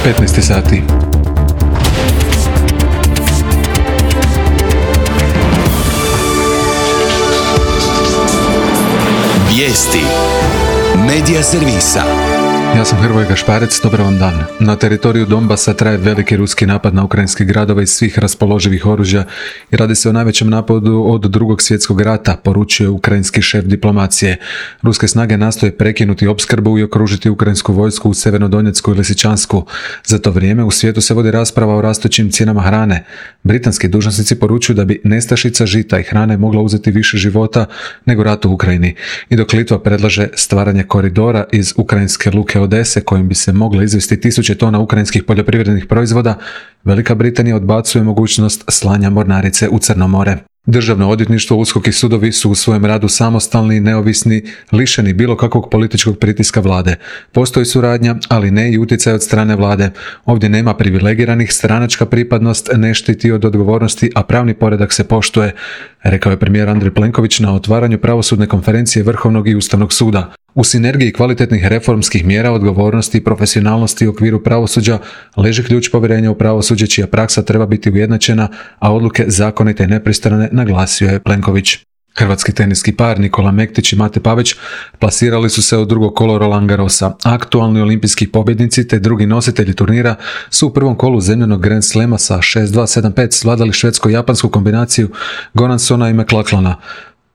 15 sati. Vijesti Medija servisa. Ja sam Hrvoje Gašparec, dobar vam dan. Na teritoriju Donbasa traje veliki ruski napad na ukrajinske gradove iz svih raspoloživih oružja i radi se o najvećem napadu od Drugog svjetskog rata, poručuje ukrajinski šef diplomacije. Ruske snage nastoje prekinuti opskrbu i okružiti ukrajinsku vojsku u Sjevernodonjecku i Lisičansku. Za to vrijeme u svijetu se vodi rasprava o rastućim cijenama hrane. Britanski dužnosnici poručuju da bi nestašica žita i hrane mogla uzeti više života nego rat u Ukrajini. I dok Litva predlaže stvaranje koridora iz ukrajinske luke Odese kojim bi se mogle izvesti 1000 tona ukrajinskih poljoprivrednih proizvoda, Velika Britanija odbacuje mogućnost slanja mornarice u Crno more. Državno odvjetništvo, USKOK i sudovi su u svojem radu samostalni, neovisni, lišeni bilo kakvog političkog pritiska vlade. Postoji suradnja, ali ne i utjecaj od strane vlade. Ovdje nema privilegiranih, stranačka pripadnost ne štiti od odgovornosti, a pravni poredak se poštuje, rekao je premijer Andrej Plenković na otvaranju pravosudne konferencije Vrhovnog i Ustavnog suda. U sinergiji kvalitetnih reformskih mjera, odgovornosti i profesionalnosti u okviru pravosuđa leži ključ povjerenja u pravosuđe čija praksa treba biti ujednačena, a odluke zakonite i nepristrane, naglasio je Plenković. Hrvatski teniski par Nikola Mektić i Mate Pavić plasirali su se u drugo kolo Roland Garrosa. Aktualni olimpijski pobjednici te drugi nositelji turnira su u prvom kolu zemljanog Grand Slema sa 6-2, 7-5 svladali švedsko-japansku kombinaciju Goransona i McLachlana.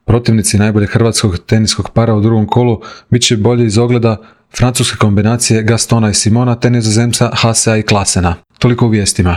Protivnici najboljeg hrvatskog teniskog para u drugom kolu bit će bolji iz ogleda francuske kombinacije Gastona i Simona te Nizozemca Haasea i Klasena. Toliko u vijestima.